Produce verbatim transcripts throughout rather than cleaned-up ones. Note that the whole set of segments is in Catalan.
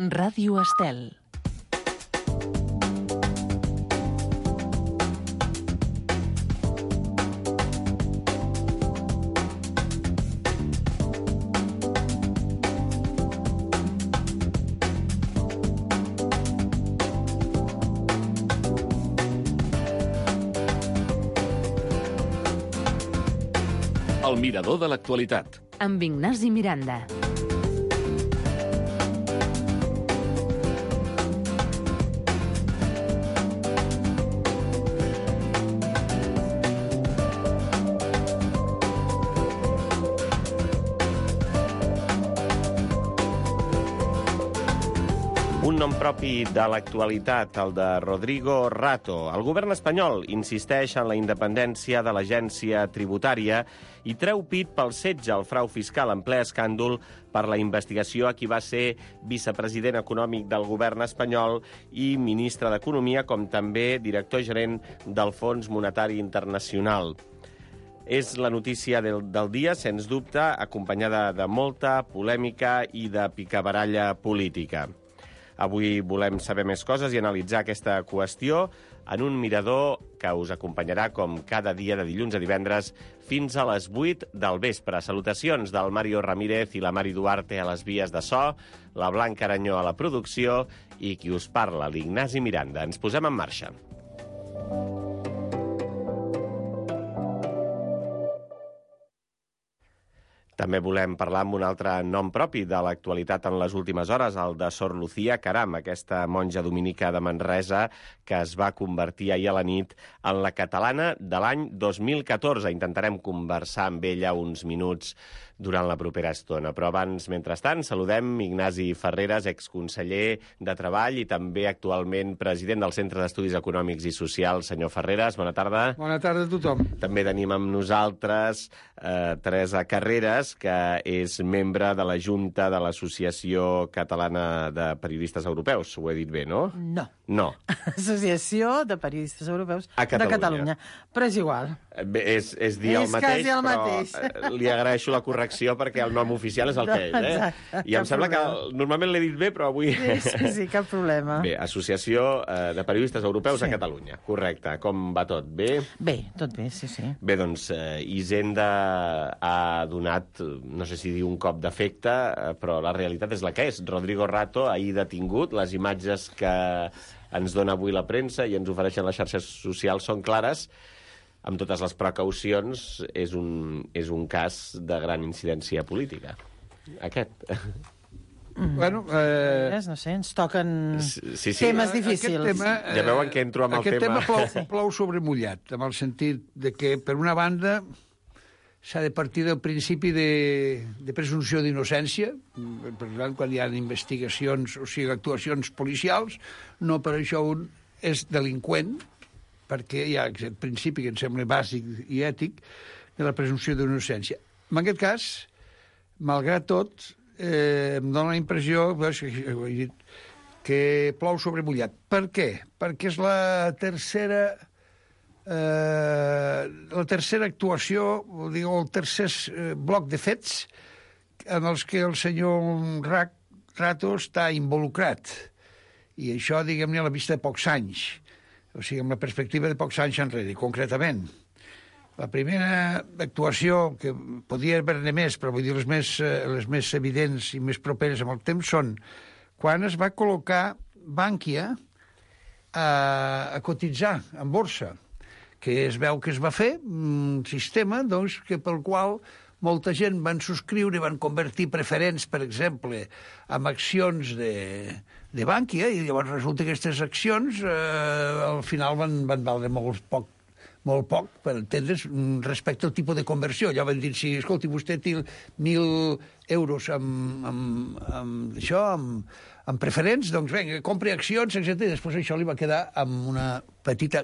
Ràdio Estel. El mirador de l'actualitat. Amb Ignasi Miranda. Un nom propi de l'actualitat, el de Rodrigo Rato. El govern espanyol insisteix en la independència de l'agència tributària i treu pit pel setge al frau fiscal en ple escàndol per la investigació a qui va ser vicepresident econòmic del govern espanyol i ministre d'Economia, com també director gerent del Fons Monetari Internacional. És la notícia del, del dia, sens dubte, acompanyada de molta polèmica i de picabaralla política. Avui volem saber més coses i analitzar aquesta qüestió en un mirador que us acompanyarà com cada dia de dilluns a divendres fins a les vuit del vespre. Salutacions del Mario Ramírez i la Mari Duarte a les vies de so, la Blanca Aranyó a la producció i qui us parla, l'Ignasi Miranda. Ens posem en marxa. També volem parlar amb un altre nom propi de l'actualitat en les últimes hores, el de Sor Lucía Caram, aquesta monja dominica de Manresa que es va convertir ahir a la nit en la catalana de l'any dos mil catorze. Intentarem conversar amb ella uns minuts durant la propera estona. Però abans, mentrestant, saludem Ignasi Ferreres, exconseller de Treball i també actualment president del Centre d'Estudis Econòmics i Socials. Senyor Ferreres, bona tarda. Bona tarda a tothom. També tenim amb nosaltres eh, Teresa Carreras, que és membre de la Junta de l'Associació Catalana de Periodistes Europeus. Ho he dit bé, no? No. No. Associació de Periodistes Europeus a Catalunya. de Catalunya. Però és igual. Bé, és, és dir és el mateix, quasi el però mateix. li agraeixo la correcció perquè el nom oficial és el que és. Eh? Exacte, I em sembla problema. que normalment l'he dit bé, però avui... Sí, sí, sí, cap problema. Bé, Associació eh, de Periodistes Europeus Sí. a Catalunya. Correcte. Com va tot? Bé? Bé, tot bé, sí, sí. Bé, doncs, eh, Hisenda ha donat, no sé si dir un cop d'efecte, eh, però la realitat és la que és. Rodrigo Rato, ahir detingut, les imatges que ens dona avui la premsa i ens ofereixen les xarxes socials són clares. Amb totes les precaucions, és un, és un cas de gran incidència política. Aquest. Mm. Bueno, eh... No sé, ens toquen Sí, sí. temes difícils. Aquest tema, eh, Ja veuen que entro amb el aquest tema. tema plou, sí. plou sobre mullat, amb el sentit de que, per una banda, s'ha de partir del principi de, de presumpció d'innocència. Per tant, quan hi ha investigacions, o sigui, actuacions policials, no per això un és delinqüent, perquè hi ha aquest principi que em sembla bàsic i ètic de la presumpció d'innocència. En aquest cas, malgrat tot, eh, em dóna la impressió veus, que, ho he dit, que plou sobre mullat. Per què? Perquè és la tercera eh, la tercera actuació, o dic, el tercer eh, bloc de fets en els que el senyor Rato està involucrat. I això, diguem-ne, a la vista de pocs anys. O sigui, amb la perspectiva de pocs anys enrere, concretament. La primera actuació, que podia haver-ne més, però vull dir les més, les més evidents i més properes amb el temps, són quan es va col·locar Bankia a, a cotitzar en borsa, que es veu que es va fer un sistema doncs, que pel qual molta gent van subscriure i van convertir preferents, per exemple, en accions de, de Bankia, i llavors resulta que aquestes accions eh, al final van, van valdre molt poc, molt poc, per entendre's, respecte al tipus de conversió. Allò van dir, si, escolti, vostè té mil euros amb, amb, amb això, amb, amb preferents, doncs vinga, compri accions, etcètera. I després això li va quedar amb una petita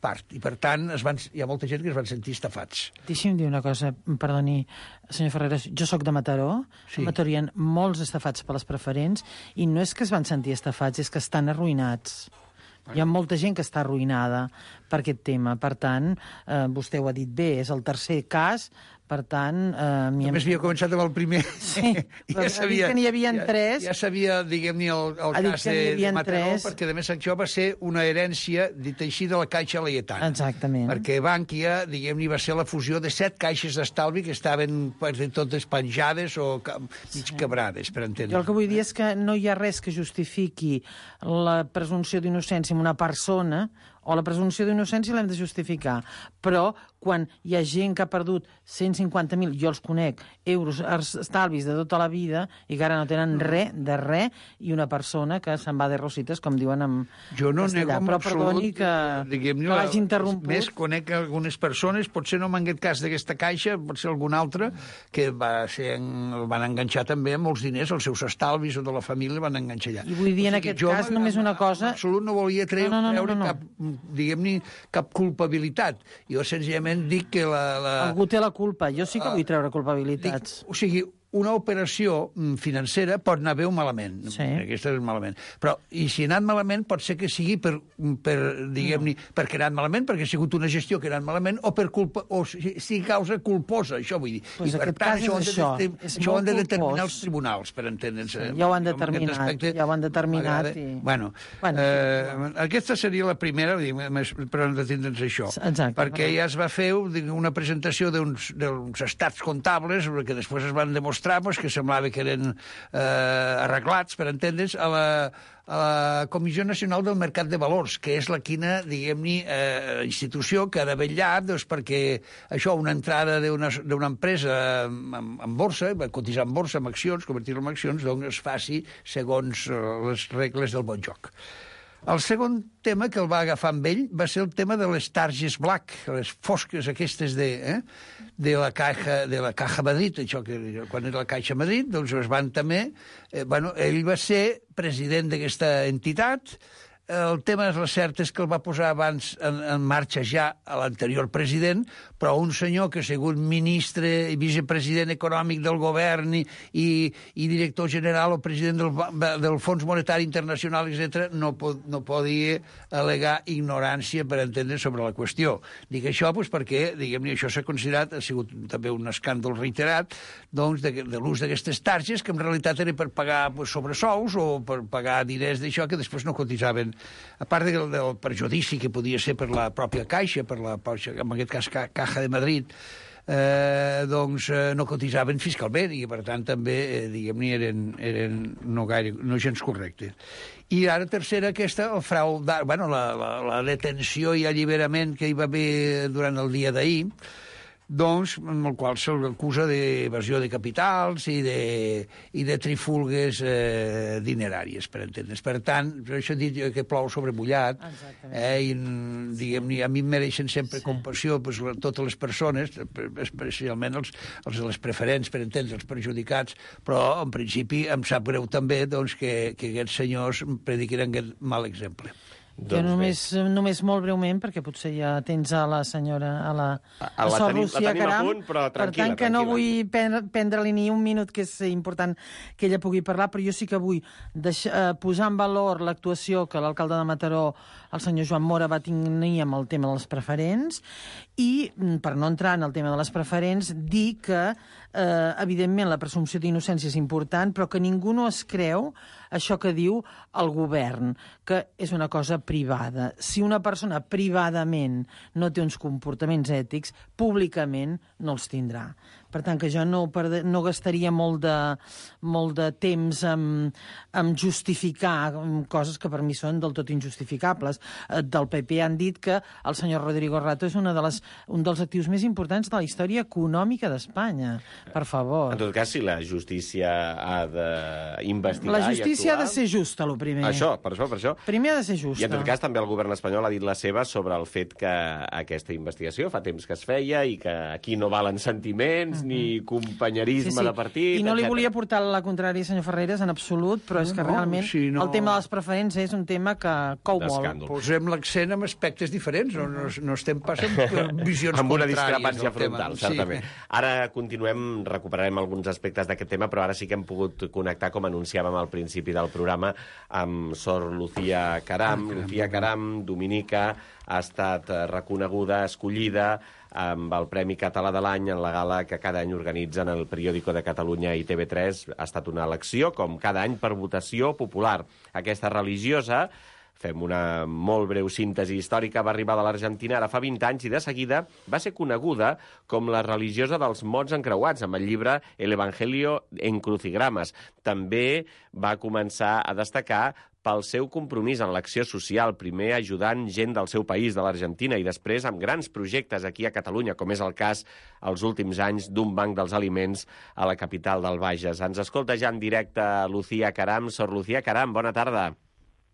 part. I, per tant, es van, hi ha molta gent que es van sentir estafats. Deixi'm dir una cosa, perdoni, senyor Ferreres, jo sóc de Mataró, Sí. a Mataró hi ha molts estafats per les preferents, i no és que es van sentir estafats, és que estan arruïnats. Hi ha molta gent que està arruïnada per aquest tema. Per tant, eh, vostè ho ha dit bé, és el tercer cas Per tant... Eh, Només havia començat amb el primer. Sí, però ja sabia, que n'hi havia tres. Ja, ja sabia, diguem-ne, el, el cas de, de Mataró, tres. Perquè, a més, això va ser una herència, dit així, de la Caixa Laietana. Exactament. Perquè Bankia, diguem-ne, va ser la fusió de set caixes d'estalvi que estaven pues, totes penjades o mig quebrades, per entendre. Jo el que vull dir és que no hi ha res que justifiqui la presumpció d'innocència en una persona, o la presumpció d'innocència l'hem de justificar, però quan hi ha gent que ha perdut cent cinquanta mil, jo els conec, euros, estalvis de tota la vida, i que ara no tenen res de res, i una persona que se'n va de rosites, com diuen en jo no castellà. nego Però absolut, perdoni que, que l'hagi interromput. Més conec algunes persones, potser no m'ha aquest cas d'aquesta caixa, pot ser algun altre, que va ser, van enganxar també amb molts diners, els seus estalvis o de la família van enganxar allà. I vull dir, en aquest jo, cas, només una cosa... En absolut no volia treure, no, no, no, treure no, no. cap, diguem-ne, cap culpabilitat. Jo senzillament dic que la, la... Algú té la culpa. Jo sí que vull treure culpabilitats. Dic, o sigui, una operació financera pot anar bé o malament. Sí. Aquesta és malament. Però, i si ha anat malament, pot ser que sigui per, per diguem-ne, no. perquè ha anat malament, perquè ha sigut una gestió que ha anat malament, o per culpa, o si, si causa culposa, això vull dir. Pues I per tant, això, això. De, això ho han de determinar els tribunals, per entendre'ns. Sí, ja ho han determinat, aspecte, ja ho han determinat. I... Bueno, bueno eh, aquesta seria la primera, però hem d'entendre'ns això. Exacte. Perquè ja es va fer una presentació d'uns estats comptables, que després es van demostrar pues, que semblava que eren eh, arreglats, per entendre's, a la, a la Comissió Nacional del Mercat de Valors, que és la quina, diguem-ne, eh, institució que ha de vetllar doncs, perquè això, una entrada d'una empresa en, en borsa, cotitzar en borsa, amb accions, convertir-la en accions, doncs es faci segons les regles del bon joc. El segon tema que el va agafar amb ell va ser el tema de les targes black, les fosques aquestes de, eh, de, la Caja, de la Caja Madrid, això que quan era la Caixa Madrid, doncs es van també... Eh, bueno, ell va ser president d'aquesta entitat. El tema, la cert, és que el va posar abans en, en marxa ja a l'anterior president, però un senyor que ha sigut ministre i vicepresident econòmic del govern i, i, i director general o president del, del Fons Monetari Internacional, etcètera, no, pod, no podia al·legar ignorància per entendre sobre la qüestió. Dic això doncs, perquè, diguem-ne, això s'ha considerat, ha sigut també un escàndol reiterat, doncs, de, de l'ús d'aquestes targes, que en realitat era per pagar pues, sobresous o per pagar diners d'això que després no cotitzaven. A part del, del perjudici que podia ser per la pròpia Caixa, per la, en aquest cas Caja de Madrid, eh, doncs eh, no cotitzaven fiscalment i, per tant, també, eh, diguem-ne, eren, eren no, gaire, no gens correctes. I ara, tercera, aquesta, el frau, bueno, la, la, la detenció i alliberament que hi va haver durant el dia d'ahir, doncs, amb el qual se'l acusa d'evasió de capitals i de, i de trifulgues eh, dineràries, per entendre's. Per tant, per això he dit que plou sobre mullat, eh, i diguem-ne, a mi em mereixen sempre sí. compassió pues, totes les persones, especialment els, els de les preferents, per entendre, els perjudicats, però en principi em sap greu també doncs, que, que aquests senyors prediquin aquest mal exemple. Jo doncs només, només molt breument, perquè potser ja tens a la senyora, a la, a, a la Sor tenim, Lucía Caram, punt, però per tant que no vull prendre-li ni un minut, que és important que ella pugui parlar, però jo sí que vull deixar, eh, posar en valor l'actuació que l'alcalde de Mataró, el senyor Joan Mora, va tenir amb el tema de les preferents, i, per no entrar en el tema de les preferents, dir que, eh, evidentment, la presumpció d'innocència és important, però que ningú no es creu això que diu el govern, que és una cosa privada. Si una persona privadament no té uns comportaments ètics, públicament no els tindrà. Per tant, que jo no, perde, no gastaria molt de, molt de temps en, en justificar coses que per mi són del tot injustificables. Del P P han dit que el senyor Rodrigo Rato és una de les, un dels actius més importants de la història econòmica d'Espanya. Per favor. En tot cas, si la justícia ha d'investigar... La justícia ha de ser justa, el primer. Això, per això, per això. Primer ha de ser justa. I en tot cas, també el govern espanyol ha dit la seva sobre el fet que aquesta investigació fa temps que es feia i que aquí no valen sentiments, ni companyerisme sí, sí. de partit, I no li etcètera. volia portar la contrària, senyor Ferreres, en absolut, però és que no, realment sí, no... el tema de les preferents és un tema que cou molt. Posem l'accent en aspectes diferents, no, no, no estem passant per visions amb una contràries. discrepància frontal, tema. certament. Sí. Ara continuem, recuperarem alguns aspectes d'aquest tema, però ara sí que hem pogut connectar, com anunciàvem al principi del programa, amb Sor Lucía Caram. Ah, Lucía Caram, dominica, ha estat reconeguda, escollida amb el Premi Català de l'Any en la gala que cada any organitzen el Periódico de Catalunya i T V tres. Ha estat una elecció, com cada any, per votació popular. Aquesta religiosa, fem una molt breu síntesi històrica, va arribar de l'Argentina ara fa vint anys i de seguida va ser coneguda com la religiosa dels mots encreuats, amb el llibre El Evangelio en Crucigramas. També va començar a destacar pel seu compromís en l'acció social, primer ajudant gent del seu país, de l'Argentina, i després amb grans projectes aquí a Catalunya, com és el cas els últims anys d'un banc dels aliments a la capital del Bages. Ens escolta ja en directe Lucía Caram. Sor Lucía Caram, bona tarda.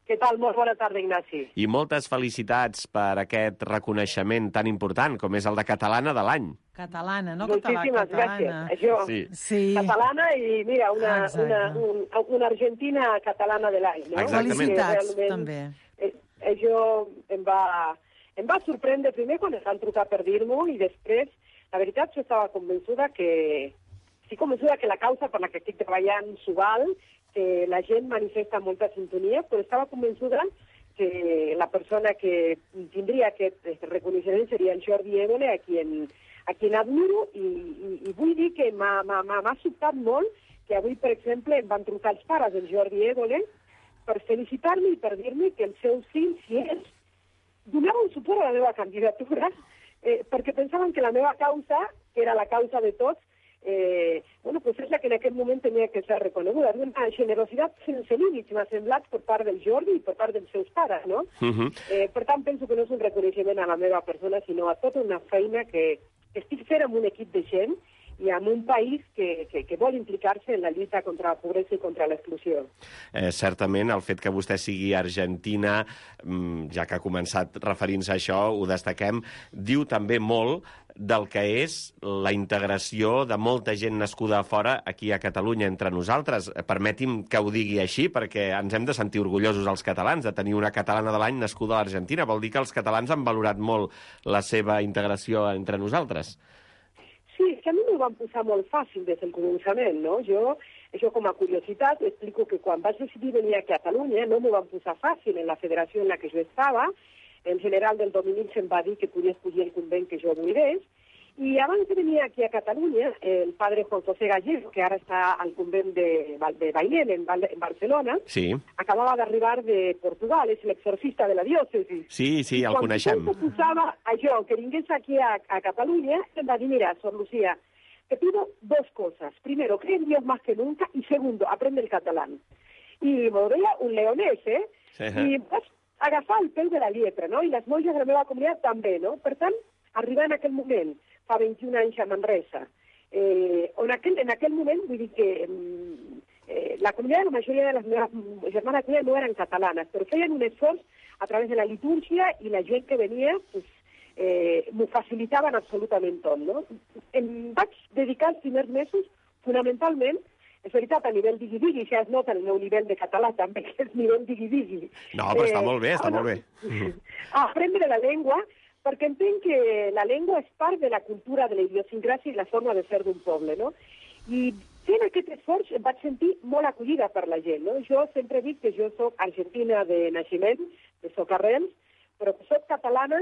Què tal? Molt bona tarda, Ignasi. I moltes felicitats per aquest reconeixement tan important com és el de Catalana de l'any. Catalana, no Moltíssimes catalana. gràcies. Això, Sí. Sí. catalana i, mira, una, Exacte. una, un, una argentina catalana de l'any, no? Exactament. Felicitats, Que realment, també. eh, Això em va, em va sorprendre primer quan em van trucar per dir-m'ho i després, la veritat, jo estava convençuda que... Estic convençuda que la causa per la que estic treballant s'ho val, que la gent manifesta molta sintonia, però estava convençuda que la persona que tindria aquest reconeixement seria el Jordi Évole, a qui, en, a qui admiro, i, i, i vull dir que m'ha sobtat molt que avui, per exemple, em van trucar els pares del Jordi Évole per felicitar-me i per dir-me que els seus fills, si ells, donaven suport a la meva candidatura, eh, perquè pensaven que la meva causa, que era la causa de tots, Eh, bueno, pues és la que en aquest moment tenia que ser reconeguda. Una generositat sense límits m'ha semblat per part del Jordi i per part dels seus pares, no? Uh-huh. eh, per tant, penso que no és un reconeixement a la meva persona, sinó a tota una feina que, que estic fent amb un equip de gent i amb un país que, que, que vol implicar-se en la lluita contra la pobresa i contra l'exclusió. Eh, certament, el fet que vostè sigui argentina, ja que ha començat referint-se a això, ho destaquem, diu també molt del que és la integració de molta gent nascuda a fora aquí a Catalunya entre nosaltres. Permeti'm que ho digui així, perquè ens hem de sentir orgullosos els catalans de tenir una catalana de l'any nascuda a l'Argentina. Vol dir que els catalans han valorat molt la seva integració entre nosaltres. Sí, que a mi m'ho van posar molt fàcil des del començament, no? Jo, això com a curiositat, explico que quan vaig decidir venir a Catalunya no m'ho van posar fàcil en la federació en la que jo estava. El general del Dominic se'm va dir que podia escollir el convent que jo volgués, i abans de venir aquí a Catalunya, el padre Juan José Gallego, que ara està al convent de, de Bailén, en, en Barcelona, sí. acabava d'arribar de Portugal, és l'exorcista de la diòcesi. Sí, sí, el quan coneixem. Quan posava això, que vingués aquí a, a Cataluña, em va dir, mira, Sor Lucía, te pido dos cosas. Primero, cree en Dios más que nunca, y segundo, aprende el catalán. I m'ho deia un leonès, eh? Sí. I vas agafar el peu de la lletra, no? I les monges de la meva comunitat també, no? Per tant, arribar en aquell moment, fa vint-i-un anys a Manresa, eh, on aquel, en aquell moment, vull dir que eh, la comunitat, la majoria de les meves germanes no eren catalanes, però feien un esforç a través de la litúrgia i la gent que venia, pues, eh, m'ho facilitaven absolutament tot, no? Em vaig dedicar els primers mesos, fonamentalment, és veritat, a nivell digui-digui, ja es nota el meu nivell de català també, que és nivell digui-digui. No, però està Eh, molt bé, està bueno, molt bé. A aprendre la llengua, perquè entenc que la llengua és part de la cultura, de la idiosincràsia i la forma de ser d'un poble, no? I fent aquest esforç em vaig sentir molt acollida per la gent, no? Jo sempre dic que jo soc argentina de naixement, de Socarrels, però que soc catalana,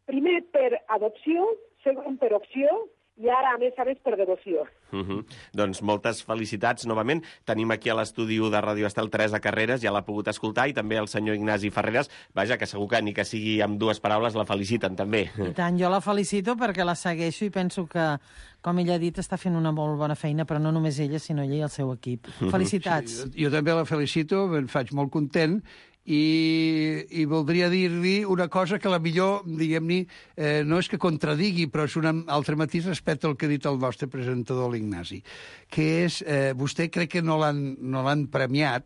primer per adopció, segon per opció, i ara, a més a més, per devoció. Uh -huh. Doncs moltes felicitats novament. Tenim aquí a l'estudi de Ràdio Estel Teresa Carreras, ja l'ha pogut escoltar, i també el senyor Ignasi Ferreras. Vaja, que segur que ni que sigui amb dues paraules la feliciten, també. I tant, jo la felicito perquè la segueixo i penso que, com ella ha dit, està fent una molt bona feina, però no només ella, sinó ella i el seu equip. Felicitats. Sí, jo, jo també la felicito, me'n faig molt content, i, i voldria dir-li una cosa que la millor, diguem-ne, eh, no és que contradigui, però és un altre matís respecte al que ha dit el nostre presentador, l'Ignasi, que és, eh, vostè crec que no l'han no l'han premiat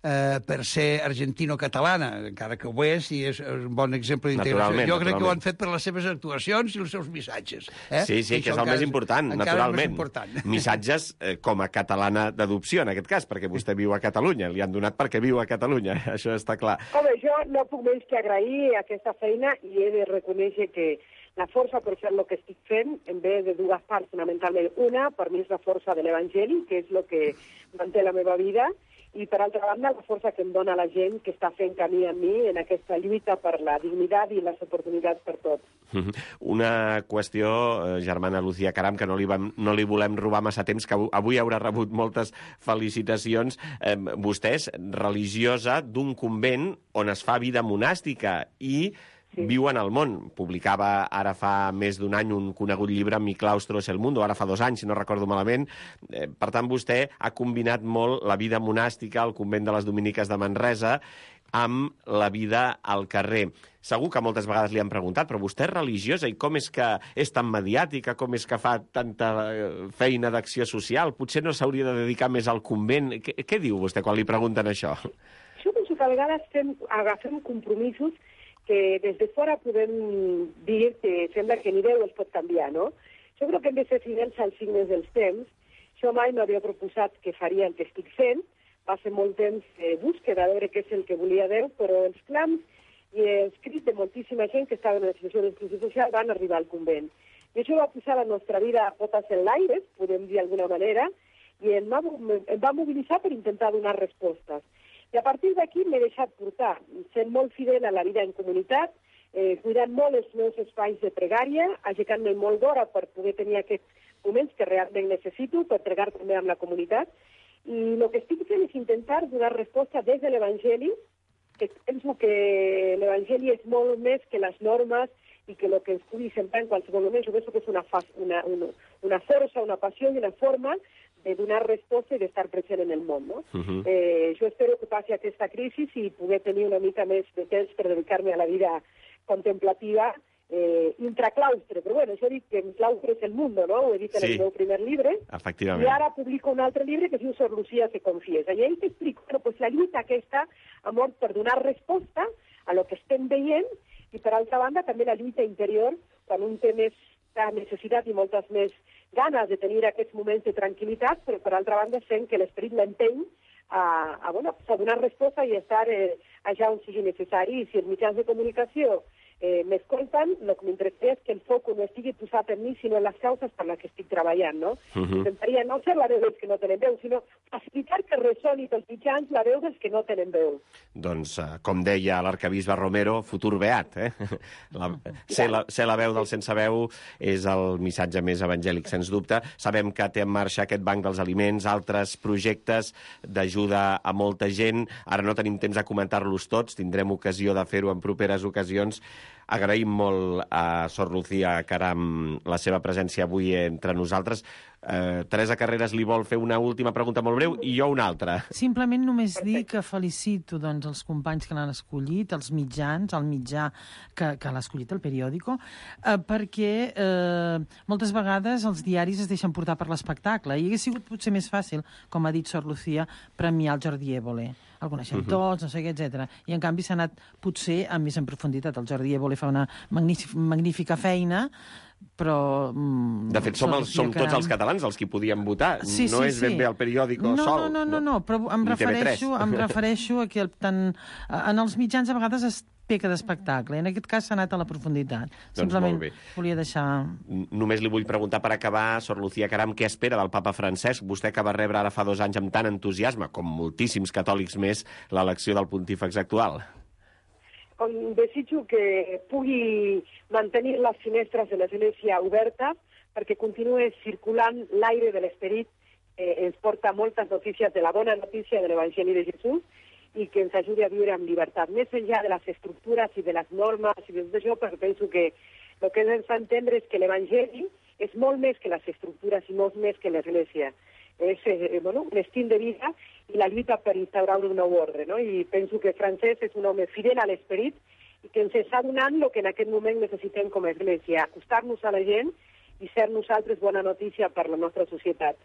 eh, per ser argentino-catalana, encara que ho és, i és un bon exemple d'integració. Jo crec que ho han fet per les seves actuacions i els seus missatges. Eh? Sí, sí, que és el més important, naturalment. Missatges eh, com a catalana d'adopció, en aquest cas, perquè vostè viu a Catalunya, li han donat perquè viu a Catalunya, això està clar. Home, jo no puc menys que agrair aquesta feina i he de reconèixer que la força per fer el que estic fent en ve de dues parts, fonamentalment. Una, per mi és la força de l'Evangeli, que és el que manté la meva vida, i, per altra banda, la força que em dona la gent que està fent camí amb mi en aquesta lluita per la dignitat i les oportunitats per tots. Una qüestió, germana Lucía Caram, que no li, vam, no li volem robar massa temps, que avui haurà rebut moltes felicitacions. Eh, vostè és religiosa d'un convent on es fa vida monàstica i sí. Viu en el món. Publicava ara fa més d'un any un conegut llibre, Mi claustro es el mundo, ara fa dos anys, si no recordo malament. Eh, per tant, vostè ha combinat molt la vida monàstica al convent de les Dominiques de Manresa amb la vida al carrer. Segur que moltes vegades li han preguntat, però vostè és religiosa i com és que és tan mediàtica, com és que fa tanta feina d'acció social? Potser no s'hauria de dedicar més al convent? Què, què diu vostè quan li pregunten això? Jo penso que a vegades fem, agafem compromisos que des de fora podem dir que sembla que ni Déu els pot canviar, no? Jo crec que hem de ser fidels als signes dels temps. Jo mai m'havia proposat que faria el que estic fent. Va ser molt temps de búsqueda, de veure què és el que volia Déu, però els clams i els crits de moltíssima gent que estava en la situació d'exclusió social van arribar al convent. I això va posar la nostra vida a potes en l'aire, podem dir d'alguna manera, i em va, em va mobilitzar per intentar donar respostes. I a partir d'aquí m'he deixat portar, sent molt fidel a la vida en comunitat, eh, cuidant molt els meus espais de pregària, aixecant-me molt d'hora per poder tenir aquests moments que realment necessito, per pregar també amb la comunitat. I el que estic fent és intentar donar resposta des de l'Evangeli, que penso que l'Evangeli és molt més que les normes i que el que es pugui sembrar en qualsevol moment. Jo penso que és una, una, una, una força, una passió i una forma de donar resposta i d'estar present en el món, no? Uh-huh. eh, jo espero que passi aquesta crisi i poder tenir una mica més de temps per dedicar-me a la vida contemplativa eh, intraclaustre. Però bueno, jo dic que el claustre és el mundo, no? Ho he dit en sí. El meu primer llibre. Efectivament. I ara publico un altre llibre que es diu Sor Lucía se confiesa. I ahí t'explico bueno, pues, la lluita aquesta, amor, per donar resposta a lo que estem veient i, per altra banda, també la lluita interior, quan un té més necessitat i moltes més ganes de tenir aquests moments de tranquil·litat, però per altra banda sent que l'esperit l'empeny a, a, bueno, a donar resposta i estar eh, allà on sigui necessari. I si els mitjans de comunicació eh, m'escolten, el que m'interessa és que el foc no estigui posat en mi, sinó en les causes per les que estic treballant, no? Uh-huh. Intentaria no ser la veu dels que no tenen veu, sinó facilitar que ressoni pels mitjans la veu dels que no tenen veu. Doncs, com deia l'arcabisbe Romero, futur beat, eh? La, ser, la, ser la veu del sense veu és el missatge més evangèlic, sens dubte. Sabem que té en marxa aquest banc dels aliments, altres projectes d'ajuda a molta gent. Ara no tenim temps de comentar-los tots, tindrem ocasió de fer-ho en properes ocasions. Agraïm molt a Sor Lucía Caram la seva presència avui entre nosaltres. Eh, Teresa Carreras li vol fer una última pregunta molt breu i jo una altra. Simplement només dir que felicito doncs, els companys que l'han escollit, els mitjans, el mitjà que, que l'ha escollit, el periòdico, eh, perquè eh, moltes vegades els diaris es deixen portar per l'espectacle i hauria sigut potser més fàcil, com ha dit Sor Lucía, premiar el Jordi Évole. El coneixem uh-huh. tots, no sé què, etcètera. I, en canvi, s'ha anat, potser, amb més en profunditat. El Jordi Évole fa una magnífica feina, però... Mm, de fet, som, els, som tots els catalans els que podíem votar. Sí, no sí, és sí. ben bé el periòdico no, sol. No, no, no, no, però em refereixo, em refereixo a que el, tant, en els mitjans a vegades es peca d'espectacle. En aquest cas s'ha anat a la profunditat. Doncs simplement volia deixar... Només li vull preguntar per acabar, Sor Lucía Caram, què espera del papa Francesc? Vostè que va rebre ara fa dos anys amb tant entusiasme, com moltíssims catòlics més, l'elecció del pontífex actual. Desitjo que pugui mantenir les finestres de l'Església obertes perquè continuï circulant l'aire de l'esperit. Eh, ens porta moltes notícies de la bona notícia de l'Evangeli de Jesús i que ens ajudi a viure amb llibertat, més enllà de les estructures i de les normes i de tot això, perquè penso que el que ens fa entendre és que l'Evangeli és molt més que les estructures i molt més que l'Església. És eh, bueno, un estil de vida i la lluita per instaurar un nou ordre, no? I penso que Francesc és un home fidel a l'esperit i que ens està donant el que en aquest moment necessitem com a Església, acostar-nos a la gent i ser nosaltres bona notícia per la nostra societat.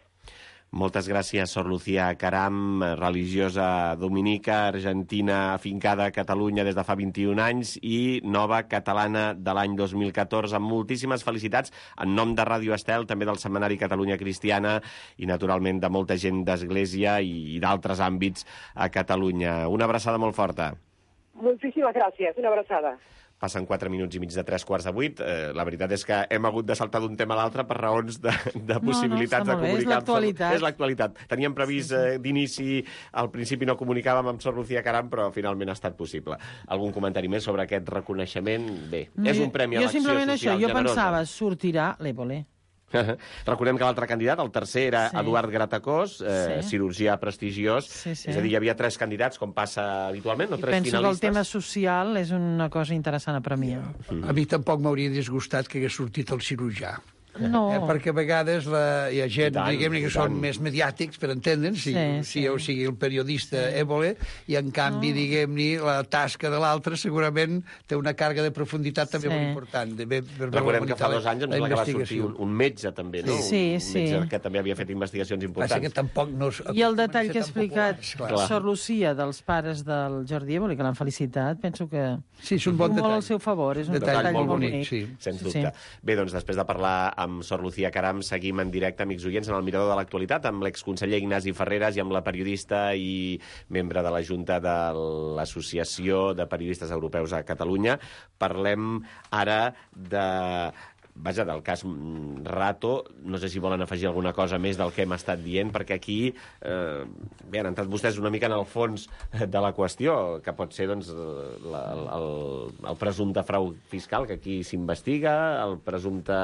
Moltes gràcies, Sor Lucía Caram, religiosa dominica, argentina, afincada a Catalunya des de fa vint-i-un anys i nova catalana de l'any dos mil catorze. Moltíssimes felicitats en nom de Ràdio Estel, també del Setmanari Catalunya Cristiana i, naturalment, de molta gent d'Església i d'altres àmbits a Catalunya. Una abraçada molt forta. Moltíssimes gràcies, una abraçada. Passen quatre minuts i mig de tres quarts de vuit. Eh, la veritat és que hem hagut de saltar d'un tema a l'altre per raons de, de possibilitats no, no, de comunicar. és l'actualitat. És l'actualitat. Teníem previst sí, sí. Eh, d'inici, al principi no comunicàvem amb Sor Lucía Caram, però finalment ha estat possible. Algun comentari més sobre aquest reconeixement? Bé, no, és un premi a l'acció social generosa. Jo simplement això, jo pensava, sortirà l'Évole. Recordem que l'altre candidat, el tercer, era sí. Eduard Gratacós, eh, sí. cirurgià prestigiós. Sí, sí. És a dir, hi havia tres candidats, com passa habitualment, o tres penso finalistes. Que el tema social és una cosa interessant a premiar. Mm. A mi tampoc m'hauria disgustat que hagués sortit el cirurgià. No. Eh, perquè a vegades la, hi ha gent tant, diguem-ne que són més mediàtics, per entendre'ns, si, sí, sí. si o sigui el periodista sí. Évole, i en canvi, no. diguem-ne, la tasca de l'altre segurament té una càrrega de profunditat també sí. molt important. De, per Recordem que fa dos anys em sembla que va sortir un, un metge també, no? Sí, un sí. metge que també havia fet investigacions importants. Que tampoc no... I el detall que ha explicat Sor Lucía dels pares del Jordi Évole, que l'han felicitat, penso que sí, és un bon detall. Molt al seu favor, és un detall, detall molt bonic, bonic. Sí. Sens dubte. Sí. Bé, doncs després de parlar amb Sor Lucía Caram, seguim en directe, amics oients, en el Mirador de l'Actualitat, amb l'exconseller Ignasi Ferreras i amb la periodista i membre de la Junta de l'Associació de Periodistes Europeus a Catalunya. Parlem ara de... Vaja, del cas Rato, no sé si volen afegir alguna cosa més del que hem estat dient, perquè aquí eh, bé, han entrat vostès una mica en el fons de la qüestió, que pot ser doncs, la, el, el presumpte frau fiscal, que aquí s'investiga, el presumpte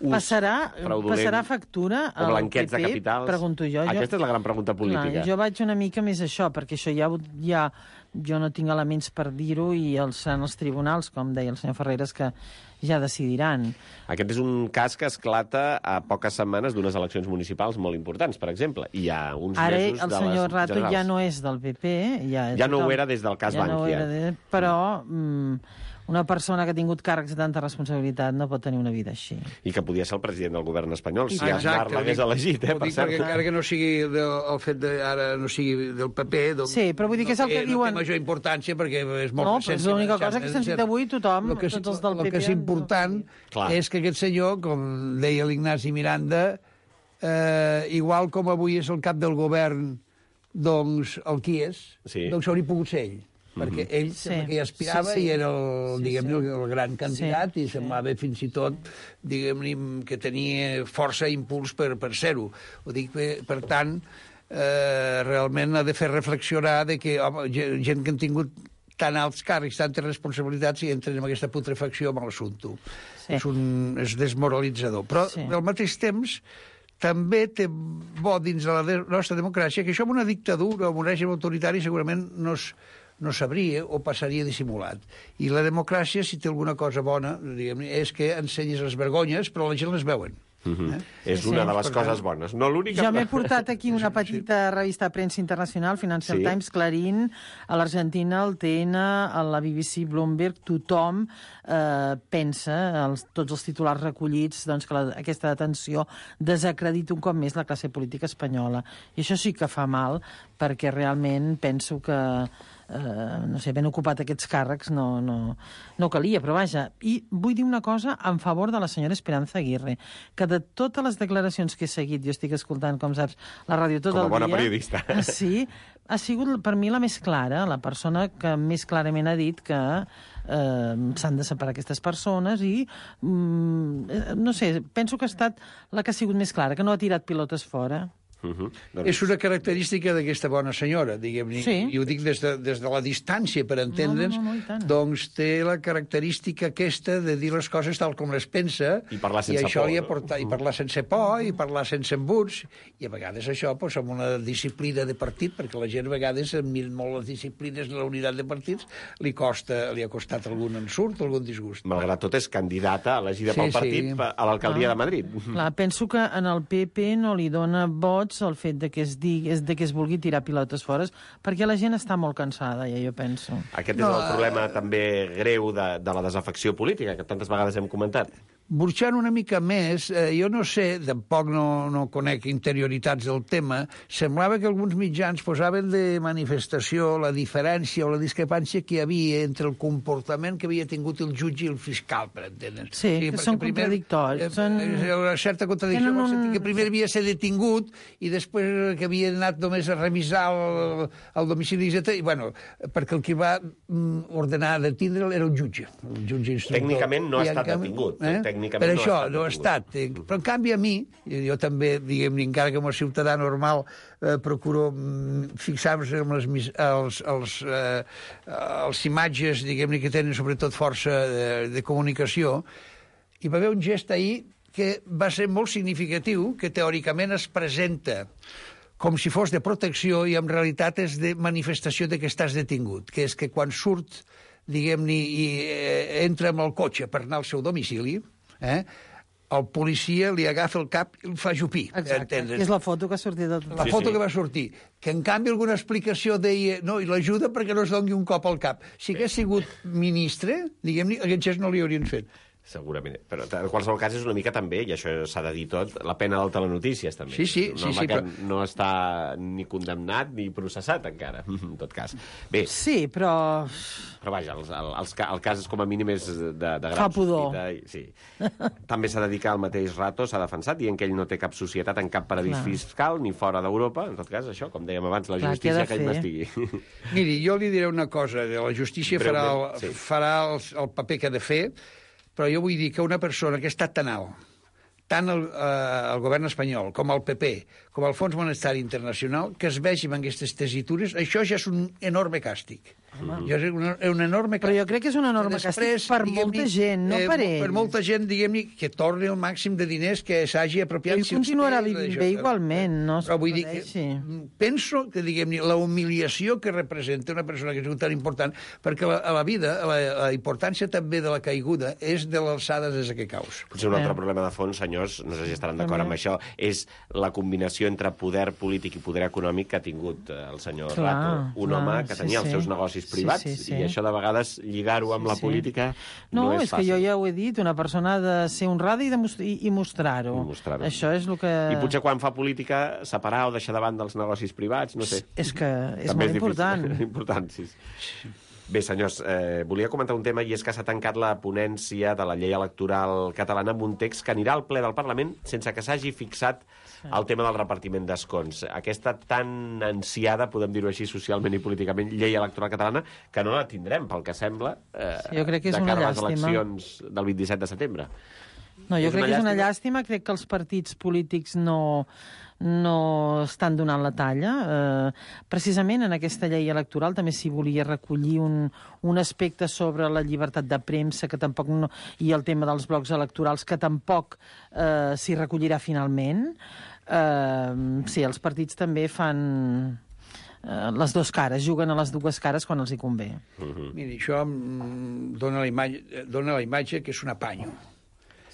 ús passarà, fraudulent... Passarà factura al o blanqueig P P, de capitals? Pregunto jo. Aquesta és la gran pregunta política. Clar, jo vaig una mica més això, perquè això ja, ja jo no tinc elements per dir-ho i els, seran els tribunals, com deia el senyor Ferreras, que ja decidiran. Aquest és un cas que esclata a poques setmanes d'unes eleccions municipals molt importants, per exemple. I hi ha uns Ara, mesos de les Ara el senyor Rato generals. ja no és del P P. Ja, ja no ho era des del cas ja Bankia. No era de, però mm, una persona que ha tingut càrrecs de tanta responsabilitat no pot tenir una vida així. I que podia ser el president del govern espanyol, si ah, Aznar l'hagués elegit, eh, per cert. Encara que no sigui del, el fet de ara no sigui del P P, doncs, sí, però vull dir que és el que no diuen... té major importància perquè és molt no, recent. No, però és l'única cosa que s'ha sentit avui tothom, que, tots els del P P... El que és important no... és que aquest senyor, com deia l'Ignasi Miranda, eh, igual com avui és el cap del govern, doncs el qui és, sí. doncs hauria pogut ser ell. Perquè ell sí. que hi aspirava sí, sí. i era el, sí, diguem, sí. el gran candidat sí, i semblava sí. fins i tot diguem, que tenia força i impuls per, per ser-ho. Ho dic, per tant, eh, realment ha de fer reflexionar de que home, gent que han tingut tan alts càrrecs, tantes responsabilitats i entren en aquesta putrefacció amb l'assumpte. Sí. És, un, és desmoralitzador. Però, sí. al mateix temps, també té bo dins de la de nostra democràcia que això amb una dictadura o amb un règim autoritari segurament no es no sabria o passaria dissimulat. I la democràcia, si té alguna cosa bona, diguem, és que ensenyes les vergonyes, però la gent les veuen. Mm-hmm. eh? És sí, una sí. de les coses bones. No l'única... Jo m'he portat aquí una petita revista de premsa internacional, Financial sí. Times, Clarín, a l'Argentina, el T N, a la B B C, Bloomberg, tothom eh, pensa, els, tots els titulars recollits, doncs, que la, aquesta detenció desacredita un cop més la classe política espanyola. I això sí que fa mal, perquè realment penso que Uh, no sé, ben ocupat aquests càrrecs no, no, no calia, però vaja. I vull dir una cosa en favor de la senyora Esperanza Aguirre, que de totes les declaracions que he seguit, jo estic escoltant, com saps, la ràdio tot com el dia... Com a bona periodista. Sí, ha sigut per mi la més clara, la persona que més clarament ha dit que eh, s'han de separar aquestes persones i, mm, no sé, penso que ha estat la que ha sigut més clara, que no ha tirat pilotes fora. Uh-huh. Doncs... És una característica d'aquesta bona senyora, diguem-ne, sí. i ho dic des de, des de la distància, per entendre'ns, no, no, no, no, doncs té la característica aquesta de dir les coses tal com les pensa, i parlar sense i això por. Li ha portat, i parlar sense por, i parlar sense embuts, i a vegades això, doncs, amb una disciplina de partit, perquè la gent a vegades, miren molt les disciplines de la unitat de partits, li costa, li ha costat algun ensurt, algun disgust. Malgrat tot, és candidata elegida sí, pel partit sí. a l'alcaldia ah. de Madrid. Clar, penso que en el P P no li dona vots el fet de que es digui, de que es vulgui tirar pilotes fora, perquè la gent està molt cansada, ja jo penso. Aquest no, és el problema uh... també greu de, de la desafecció política, que tantes vegades hem comentat. burxant una mica més, eh, jo no sé, tampoc no, no conec interioritats del tema, semblava que alguns mitjans posaven de manifestació la diferència o la discrepància que hi havia entre el comportament que havia tingut el jutge i el fiscal, per entendre. Sí, sí, que són primer, contradictoris. Eh, Són... Una certa contradicció, un... en el sentit que primer havia de ser detingut i després que havia anat només a revisar el, el domicili, etcètera. I, bueno, perquè el que va ordenar detindre'l era el jutge, el jutge instructor. Tècnicament no ha I estat canvi, detingut. Eh? Tècnicament per no això, ha no ha estat. estat. Però, en canvi, a mi, jo també, diguem-ne, encara que com a ciutadà normal, eh, procuro fixar-me en les, els, els, eh, els imatges, diguem-ne, que tenen sobretot força de, de comunicació, hi va haver un gest ahir que va ser molt significatiu, que teòricament es presenta com si fos de protecció i en realitat és de manifestació de que estàs detingut, que és que quan surt, diguem-ne, i eh, entra amb el cotxe per anar al seu domicili, eh, el policia li agafa el cap i el fa jupir. Exacte, que és la foto que ha sortit de tot. La Sí, foto sí. que va sortir. Que, en canvi, alguna explicació deia no, i l'ajuda perquè no es doni un cop al cap. Si hagués sigut ministre, diguem-ne, aquest gest no li haurien fet. Segurament. Però en qualsevol cas és una mica també, i això s'ha de dir tot, la pena del telenotícies, també. Sí, sí, Un sí, home sí, que però- no està ni condemnat ni processat encara, en tot cas. Bé, Sí, però... però vaja, els, el, els, ca- el cas és com a mínim és de, de gran Fa pudor. sospita. I, sí. També s'ha de dir que el mateix Rato s'ha defensat, dient que ell no té cap societat en cap paradís Clar. fiscal ni fora d'Europa. En tot cas, això, com dèiem abans, la Clar, què ha justícia de que ell fer? m'estigui. Miri, jo li diré una cosa. La justícia farà, el, Breument, sí. farà el, el paper que ha de fer, però jo vull dir que una persona que ha estat tan alt, tant el, eh, el govern espanyol com el P P, com el Fons Monetari Internacional, que es vegi amb aquestes tesitures, això ja és un enorme càstig. Ja és un, un enorme Però jo crec que és un enorme càstig per molta gent, no per ell. Per molta gent, diguem-ne, que torni el màxim de diners que s'hagi apropiat. Ell si els continuarà té, vivint d'això. bé igualment, no es Però vull dir que podeixi. penso que, diguem-ne, la humiliació que representa una persona que és tan important, perquè la, a la vida, la, la importància també de la caiguda és de l'alçada des que caus. Potser un altre Eh. problema de fons, senyors, no sé si estaran d'acord amb això, és la combinació entre poder polític i poder econòmic que ha tingut eh, el senyor Clar, Rato. Un clar, home que sí, tenia els sí. seus negocis Sí, privats, sí, sí. i això de vegades lligar-ho amb Sí, la sí. política No, no, és, és que fàcil. jo ja ho he dit, una persona ha de ser honrada i, de most i, i mostrar-ho. I mostrar-ho. Això és el que... I potser quan fa política separar o deixar davant dels negocis privats, no sé. És que és També molt important. difícil. important, sí. Bé, senyors, eh, volia comentar un tema, i és que s'ha tancat la ponència de la llei electoral catalana amb un text que anirà al ple del Parlament sense que s'hagi fixat el tema del repartiment d'escons. Aquesta tan ansiada, podem dir-ho així, socialment i políticament, llei electoral catalana, que no la tindrem, pel que sembla, eh, Sí, jo crec que és de una cara a les llàstima. eleccions del vint-i-set de setembre. No, jo És crec una que és una llàstima. llàstima. Crec que els partits polítics no, no estan donant la talla. Eh, precisament en aquesta llei electoral també s'hi volia recollir un, un aspecte sobre la llibertat de premsa que tampoc no, i el tema dels blocs electorals que tampoc eh, s'hi recollirà finalment. Eh, sí, els partits també fan eh, les dues cares, juguen a les dues cares quan els hi convé. Miri, això mm, dona la imatge, dona la imatge que és un apanyo.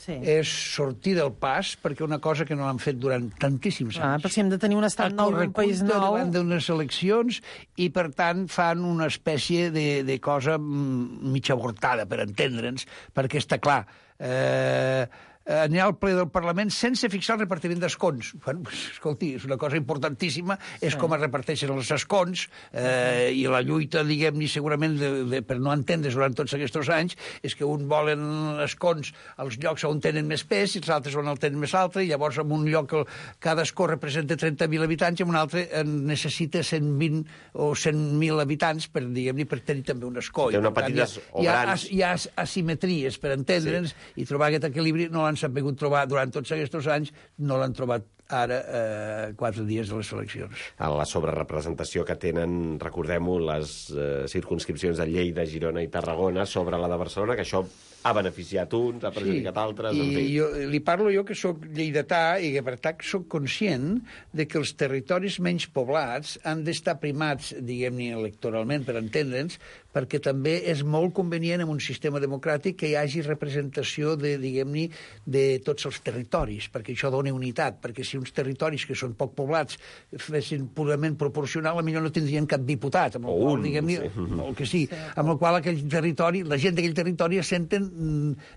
Sí. És sortir del pas perquè una cosa que no l'han fet durant tantíssims Ah, anys. però si hem de tenir un estat nou, un país nou... davant d'unes eleccions i, per tant, fan una espècie de, de cosa mm, mig avortada, per entendre'ns, perquè està clar... Eh, anirà al ple del Parlament sense fixar el repartiment d'escons. Bueno, pues, escolti, és una cosa importantíssima, és com es reparteixen els escons, eh, i la lluita, diguem-ne, segurament, de, de, per no entendre's durant tots aquests anys, és que un volen escons als llocs on tenen més pes i els altres on el tenen més altre, i llavors en un lloc el, cada escó representa trenta mil habitants i en un altre en necessita cent vint o cent mil habitants per, diguem-ne, per tenir també un escó. Té I, una per tant, petites o hi ha, grans. hi ha asimetries, per entendre'ns, sí. I trobar aquest equilibri no l'han sabut trobar durant tots aquests anys, no l'han trobat ara, eh, quatre dies de les eleccions. A la sobrerepresentació que tenen, recordem-ho, les eh, circunscripcions de Lleida, Girona i Tarragona sobre la de Barcelona, que això ha beneficiat uns, ha perjudicat sí. altres... En I fi. jo, li parlo jo que sóc lleidatà i que per tant sóc conscient de que els territoris menys poblats han d'estar primats, diguem-ne, electoralment, per entendre'ns, perquè també és molt convenient en un sistema democràtic que hi hagi representació de, diguem-ne, de tots els territoris, perquè això dona unitat, perquè si si uns territoris que són poc poblats fessin purament proporcional, a millor no tindrien cap diputat, amb el O qual, un, diguem-ne, sí. el que sí, amb el qual aquell territori, la gent d'aquell territori es senten,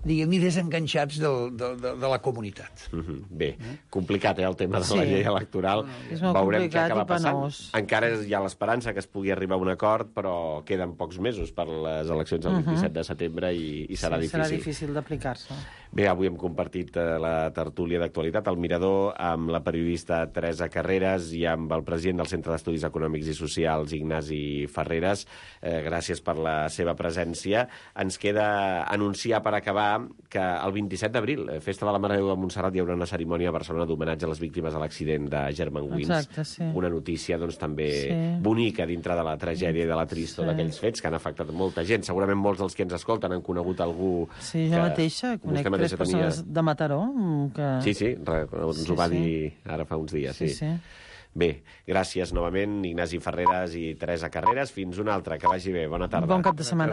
diguem-ne, desenganxats del, de, de, de la comunitat. Mm-hmm. Bé, complicat, eh, el tema de Sí. la llei electoral. És molt Veurem què complicat acaba i passant. penós. Encara hi ha l'esperança que es pugui arribar a un acord, però queden pocs mesos per les eleccions del vint-i-set de setembre i, i serà sí, difícil. Serà difícil d'aplicar-se. Bé, avui hem compartit eh, la tertúlia d'actualitat al Mirador amb la periodista Teresa Carreras i amb el president del Centre d'Estudis Econòmics i Socials, Ignasi Ferreras. Eh, gràcies per la seva presència. Ens queda anunciar per acabar que el vint-i-set d'abril, eh, Festa de la Mare de Déu de Montserrat, hi haurà una cerimònia a Barcelona d'homenatge a les víctimes de l'accident de Germanwings. Exacte, sí. Una notícia doncs, també Sí. bonica dintre de la tragèdia i de la tristor Sí. d'aquells fets que han afectat molta gent. Segurament molts dels que ens escolten han conegut algú Sí, jo mateixa conec vostè tres mateixa persones de Mataró que... Sí, sí, re- ens Sí, ho va sí. dir ara fa uns dies. Sí, Sí, sí. Bé, gràcies novament, Ignasi Ferreras i Teresa Carreras. Fins una altra, que vagi bé. Bona tarda. Bon cap de setmana.